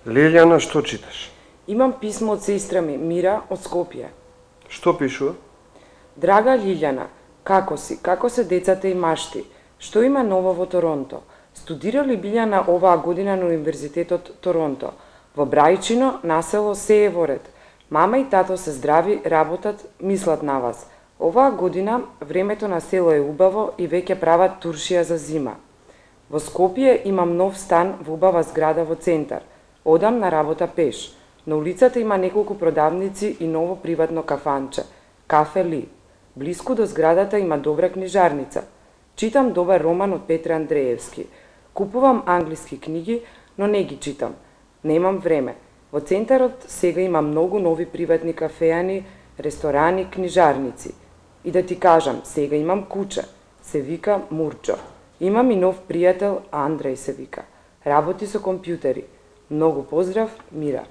Лилјана, што читаш? Имам писмо од сестра ми, Мира, од Скопје. Што пишува? Драга Лилјана, како си? Како се децата и машти? Што има ново во Торонто? Студира ли Билјана оваа година на Универзитетот Торонто? Во Брајчино, насело се е во ред. Мама и тато се здрави, работат, мислат на вас. Оваа година времето на село е убаво и веќе прават туршија за зима. Во Скопје имам нов стан во убава зграда во центар. Одам на работа пеш. На улицата има неколку продавници и ново приватно кафанче, Кафе Ли. Блиску до зградата има добра книжарница. Читам добар роман од Петре Андреевски. Купувам англиски книги, но не ги читам. Немам време. Во центарот сега има многу нови приватни кафеани, ресторани, книжарници. И да ти кажам, сега имам куче. Се вика Мурчо. Имам и нов пријател, Андреј се вика. Работи со компјутери. Многу поздрав, Мира.